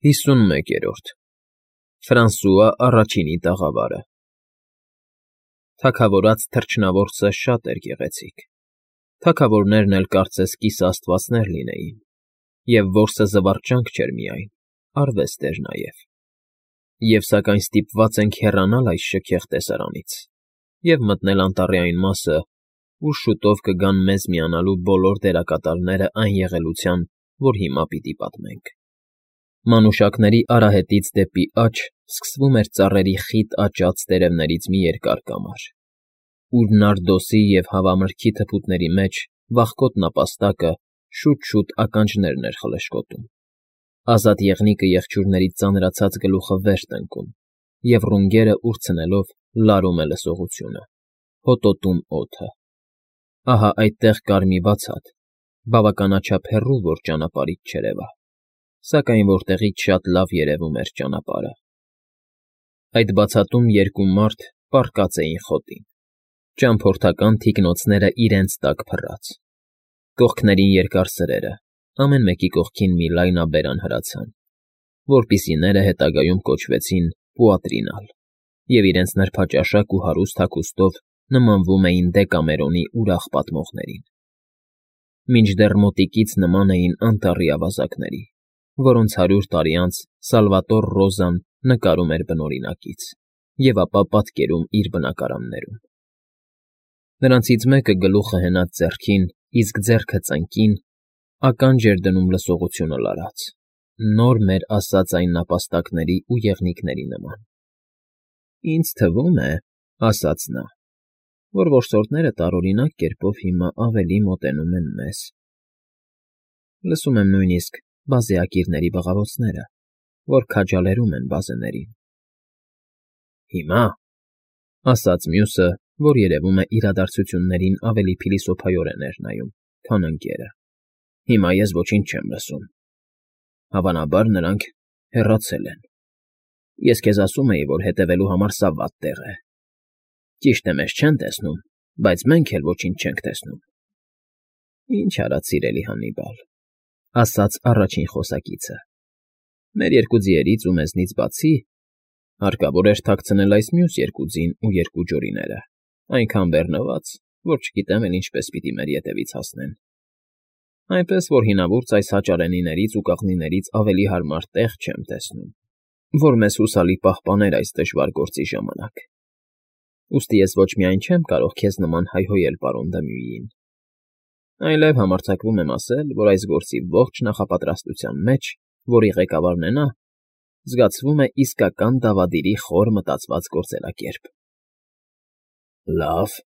51-րդ Ֆրանսուଆ առաջինի տաղավարը Թագավորած թռչնավորսը շատ էր գեղեցիկ, թագավորներն էլ կարծես կիսաստվածներ լինեին, և որսը զվարճանք չէր միայն, արվեստ էր նաև, և սակայն ստիպված ենք հեռանալ այս շքեղ տեսարանից և մտնել անտառի այն մասը, ուր շուտով կգան մեզ միանալու բոլոր դերակատարները այն եղելության, որ հիմա պիտի պատմենք։ Մանուշակների արահետից դեպի աջ սկսվում էր ծառերի խիտ աճած տերևներից մի երկար կամար, ուր նարդոսի և հավամրգի թփուտների մեջ վախկոտ նապաստակը շուտ-շուտ ականջներն էր խլշկոտում, ազատ եղնիկը եղջյուրների ծանրացած գլուխը վեր տնկում և ռունգերը ուրցնելով լարում է լսողությունը, հոտոտում օդը։ Ահա այդտեղ կար մի բացատ, բավականաչափ հեռու, որ ճանապարհից չերևա, սակայն որտեղից շատ լավ երևում էր ճանապարհը։ Այդ բացատում երկու մարդ պառկած էին խոտին, ճամփորդական թիկնոցները իրենց տակ փռած, կողքներին երկար սրերը, ամեն մեկի կողքին մի լայնաբերան հրացան, որպիսիները հետագայում կոչվեցին պուատրինալ, և իրենց նրբաճաշակ ու հարուստ հագուստով նմանվում էին Դեկամերոնի ուրախ պատմողներին։ Մինչդեռ մոտիկից նման էին անտառի ավազակների, որոնց 100 տարի անց Սալվատոր Ռոզան նկարում էր բնօրինակից և ապա պատկերում իր բնակարաններում։ Նրանցից մեկը գլուխը հենած ձեռքին, իսկ ձեռքը ծնկին, ականջ էր դնում լսողությունը լարած, նոր մեր ասած այն նապաստակների ու եղնիկների նման։ «Ինձ թվում է, — ասաց նա, — որ որսորդները տարօրինակ կերպով հիմա ավելի մոտենում են մեզ. լսում եմ նույնիսկ բազեակիրների բղավոցները, որ քաջալերում են բազեներին»։ «Հիմա, — ասաց մյուսը, որ երևում է իրադարձություններին ավելի փիլիսոփայորեն էր նայում, քան ընկերը,— հիմա ես ոչինչ չեմ լսում. հավանաբար նրանք հեռացել են։ Ես քեզ ասում էի, որ հետևելու համար սա վատ տեղ է։ Ճիշտ է, մեզ չեն տեսնում, բայց մենք էլ ոչինչ չենք տեսնում»։ «Ինչ արած, սիրելի Հաննիբալ,— ասաց առաջին խոսակիցը,֊ մեր երկու ձիերից ու մեզնից բացի հարկավոր էր թաքցնել այս մյուս երկու ձին ու երկու ջորիները, այնքան բեռնված, որ չգիտեմ էլ ինչպես պիտի մեր ետևից հասնեն։ Այնպես որ հինավուրց այս հաճարենիներից ու կաղնիներից ավելի հարմար տեղ չեմ տեսնում, որ մեզ հուսալի պահպաներ այս դժվար գործի ժամանակ։ Ուստի ես ոչ միայն չեմ կարող քեզ նման հայհոյել պարոն Դմյուիին, այլև համարձակվում եմ ասել, որ այս գործի ողջ նախապատրաստության մեջ, որի ղեկավարն է նա, զգացվում է իսկական դավադիրի խոր մտածված գործելակերպ»։ «Լավ,—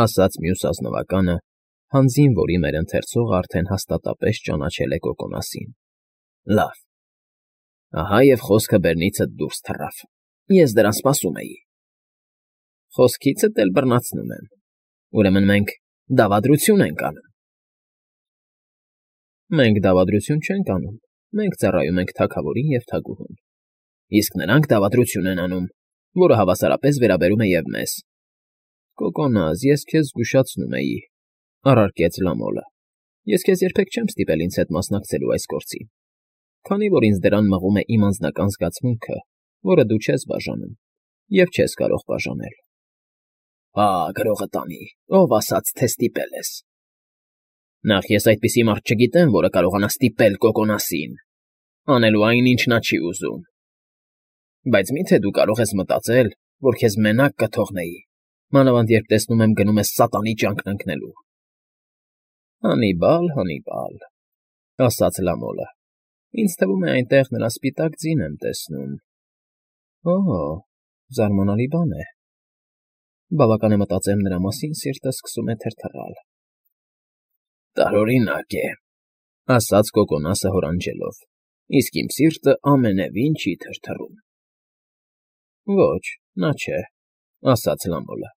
ասաց մյուս ազնվականը, հանձին որի մեր ընթերցողը արդեն հաստատապես ճանաչել է Կոկոնասին,֊ լավ, ահա և խոսքը բերնիցդ դուրս թռավ, ես դրան սպասում էի։ Խոսքիցդ էլ բռնացնում եմ, ուրեմն մենք դավադրություն ենք անում։ Մենք դավադրություն չենք անում, մենք ծառայում ենք թագավորին և թագուհուն, իսկ նրանք դավադրություն են անում, որը հավասարապես վերաբերում է և մեզ։ Կոկոնաս, ես քեզ զգուշացնում էի,— առարկեց Լամոլը,֊ ես քեզ երբեք չեմ ստիպել ինձ հետ մասնակցելու այս գործին, քանի որ ինձ դրան մղում է իմ անձնական զգացմունքը, որը դու չես բաժանում և չես կարող բաժանել։ Հա, գրողը տանի, ով ասաց, թե ստիպել ես։ Նախ ես այդպիսի մարդ չգիտեմ, որը կարողանա ստիպել Կոկոնասին անելու այն, ինչ նա չի ուզում։ Բայց մի՞թե դու կարող ես մտածել, որ քեզ մենակ կթողնեի, մանավանդ երբ տեսնում եմ գնում ես սատանի ճանկն ընկնելու։ Հաննիբալ, Հաննիբալ,֊ ասաց Լամոլը,֊ ինձ թվում է այնտեղ նրա սպիտակ ձին եմ տեսնում։ Օ՜, զարմանալի բան է։ Բավական է մտածեմ նրա մասին, սիրտը սկսում է թրթռալ։ Տարօրինակ է,— ասաց Կոկոնասը հորանջելով,֊ իսկ իմ սիրտը ամենևին չի թրթռում։ Ոչ, նա չէ,— ասաց Լամոլը,֊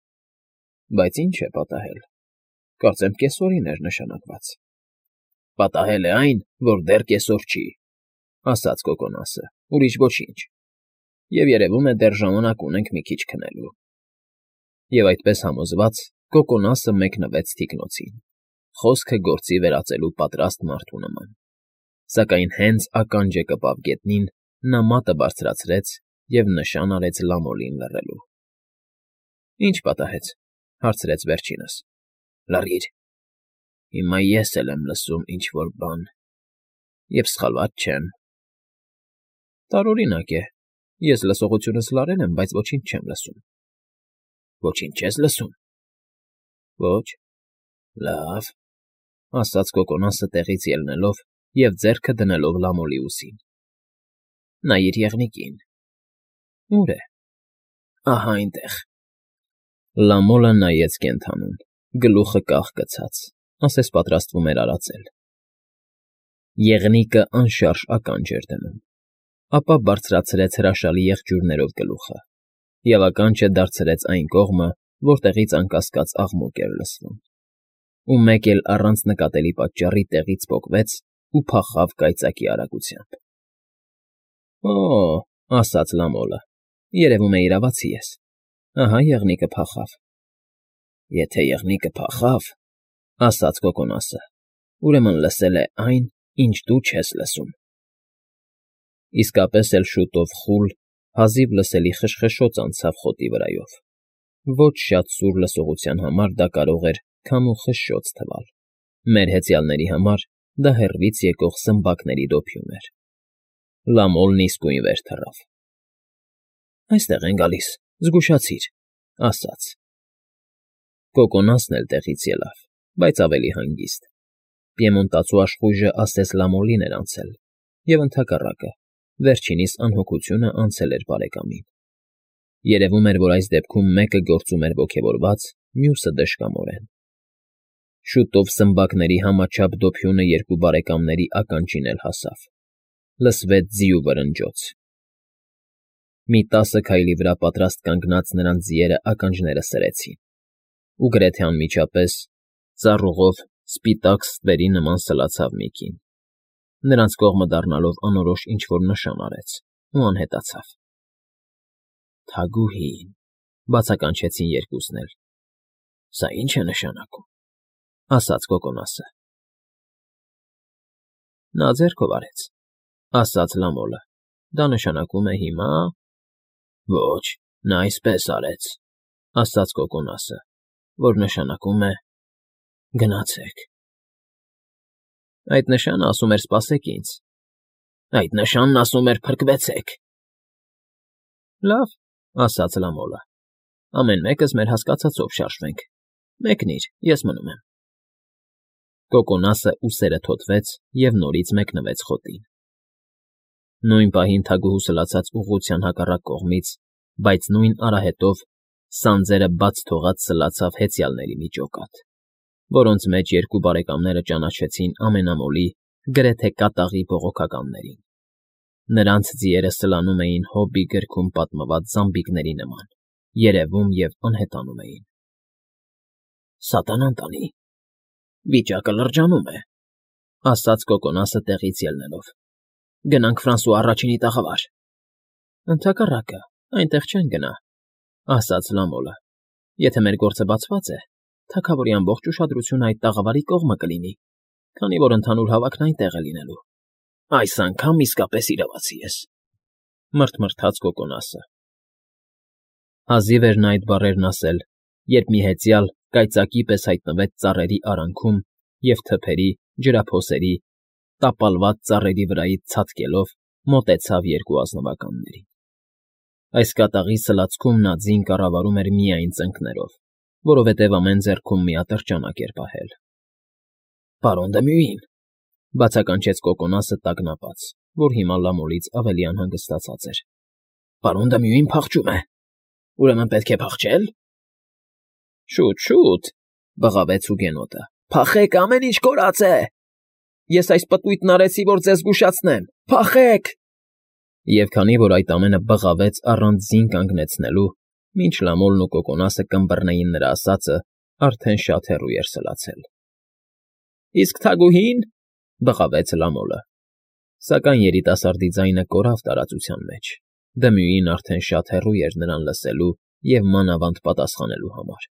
բայց ինչ է պատահել, կարծեմ կեսօրին էր նշանակված։ Պատահել է այն, որ դեռ կեսօր չի,— ասաց Կոկոնասը,֊ ուրիշ ոչինչ, և երևում է դեռ ժամանակ ունենք մի քիչ քնելու։ Եվ այդպես համոզված Կոկոնասը մեկնվեց թիկնոցին, խոսքը գործի վերածելու պատրաստ մարդու նման, սակայն հենց ականջը կպավ գետնին, նա մատը բարձրացրեց և նշան արեց Լամոլին լռելու։ ֊ Ի՞նչ պատահեց,֊ հարցրեց վերջինս։ ֊ Լռիր, հիմա ես էլ եմ լսում ինչ֊որ բան, և սխալված չեմ։ ֊ Տարօրինակ է, ես լսողությունս լարել եմ, բայց ոչինչ չեմ լսում։ ֊ Ոչինչ չես լսում։ ֊ Ոչ։ ֊ Լավ,֊ ասաց կոկոնասը տեղից ելնելով և ձեռքը դնելով Լամոլի ուսին։ ֊ Նայիր եղնիկին։ ֊ Ո՞ւր է։ ֊ Ահա այնտեղ։ Լամոլը նայեց կենդանուն, գլուխը կախ գցած, ասես պատրաստվում էր արածել։ Եղնիկը անշարժ ականջ էր դնում, ապա բարձրացրեց հրաշալի եղջյուրներով գլուխը և ականջը դարձրեց այն կողմը, որտեղից անկասկած աղմուկ էր լսվում, ու մեկ էլ առանց նկատելի պատճառի տեղից պոկվեց ու փախավ կայծակի արագությամբ։ «Օ՜,֊ ասաց Լամոլը,֊ երևում է իրավացի ես։ Ահա եղնիկը փախավ»։ ֊ Եթե եղնիկը փախավ,֊ ասաց կոկոնասը,֊ ուրեմն լսել է այն, ինչ դու չես լսում։ Իսկապես էլ շուտով խուլ, հազիվ լսելի խշխշոց անցավ խոտի վրայով։ Ոչ շատ սուր լսողության համար դա կարող էր քամու խշշոց թվալ, մեր հեծյալների համար դա հեռվից եկող սմբակների դոփյուն էր։ Լամոլն իսկույն վեր թռավ։ ֊ Այստեղ են գալիս, զգուշացիր,֊ ասաց։ Կոկոնասն էլ տեղից ելավ, բայց ավելի հանգիստ։ Պիեմոնտացու աշխույժը ասես Լամոլին էր անցել, և ընդհակառակը, վերջինիս անհոգությունը անցել էր բարեկամին։ Երևում էր, որ այս դեպքում մեկը գործում էր ոգևորված, մյուսը դժկամորեն։ Շուտով սմբակների համաչափ դոփյունը երկու բարեկամների ականջին էլ հասավ։ Լսվեց ձիու վրնջոց։ Մի 10 քայլի վրա պատրաստ կանգնած նրանց ձիերը ականջները սրեցին, ու գրեթե անմիջապես ծառուղով սպիտակ ստվերի նման սլացավ մի կին, նրանց կողմը դառնալով անորոշ ինչ֊որ նշան արեց ու անհետացավ։ ֊ Թագուհին,֊ բացականչեցին երկուսն էլ։ ֊ Սա ի՞նչ է նշանակում,֊ ասաց կոկոնասը։ ֊ Նա ձեռքով արեց,֊ ասաց Լամոլը,֊ դա նշանակում է հիմա… ֊ Ոչ, նա այսպես արեց,֊ ասաց կոկոնասը,֊ որ նշանակում է… Գնացեք։ ֊ Այդ նշանն ասում էր սպասեք ինձ։ ֊ Այդ նշանն ասում էր փրկվեցեք։ ֊ Լավ,֊ ասաց Լամոլը,֊ ամեն մեկս մեր հասկացածով շարժվենք։ Մեկնիր, ես մնում եմ։ Կոկոնասը ուսերը թոթվեց և նորից մեկնվեց խոտին։ Նույն պահին թագուհու սլացած ուղղության հակառակ կողմից, բայց նույն արահետով, սանձերը բաց թողած սլացավ հեծյալների մի ջոկատ, որոնց մեջ երկու բարեկամները ճանաչեցին ամենամոլի, գրեթե կատաղի բողոքականներին։ Նրանց ձիերը սլանում էին Հոբի գրքում պատմված զամբիկների նման, երևում և անհետանում էին։ ֊ Սատանան տանի, վիճակը լրջանում է,֊ ասաց կոկոնասը տեղից ելնելով։ ֊ Գնանք Ֆրանսուଆ առաջինի տաղավար։ ֊ Ընդհակառակը, այնտեղ չեն գնա,֊ ասաց Լամոլը։ ֊ Եթե մեր գործը բացված է, թագավորի ամբողջ ուշադրությունը այդ տաղավարի կողմը կլինի, քանի որ ընդհանուր հավաքն այնտեղ է լինելու։ ֊ Այս անգամ իսկապես իրավացի ես,֊ մռթմռթաց կոկոնասը։ Հազիվ էր նա այդ բառերն ասել, երբ մի հեծյալ կայծակի պես հայտնվեց ծառերի արանքում և թփերի, ջրափոսերի, տապալված ծառերի վրայից ցատկելով մոտեցավ երկու ազնվականներին։ Այս կատաղի սլացքում նա ձին կառավարում էր միայն ծնկներով, որովհետև ամեն ձեռքում մի ատրճանակ էր պահել։ ֊ Պարոն Դմյուին,֊ բացականչեց կոկոնասը տագնապած, որ հիմա Լամոլից ավելի անհանգստացած էր,֊ պարոն Դմյուին փախչում է։ Ուրեմն պետք է փախչե՞լ։ ֊ Շուտ, շուտ,֊ բղավեց հուգենոտը,֊ փախեք, ամեն ինչ կորած է… Ես այս պտույտն արեցի, որ ձեզ զգուշացնեմ… Փախեք… Եվ քանի որ այդ ամենը բղավեց առանց ձին կանգնեցնելու, մինչ Լամոլն ու կոկոնասը կմբռնեին նրա ասածը, արդեն շատ հեռու էր սլացել։ ֊ Իսկ թագուհի՞ն,֊ բղավեց Լամոլը։ Սակայն երիտասարդի ձայնը կորավ տարածության մեջ, Դմյուին արդեն շատ հեռու էր նրան լսելու և մանավանդ պատասխանելու համար։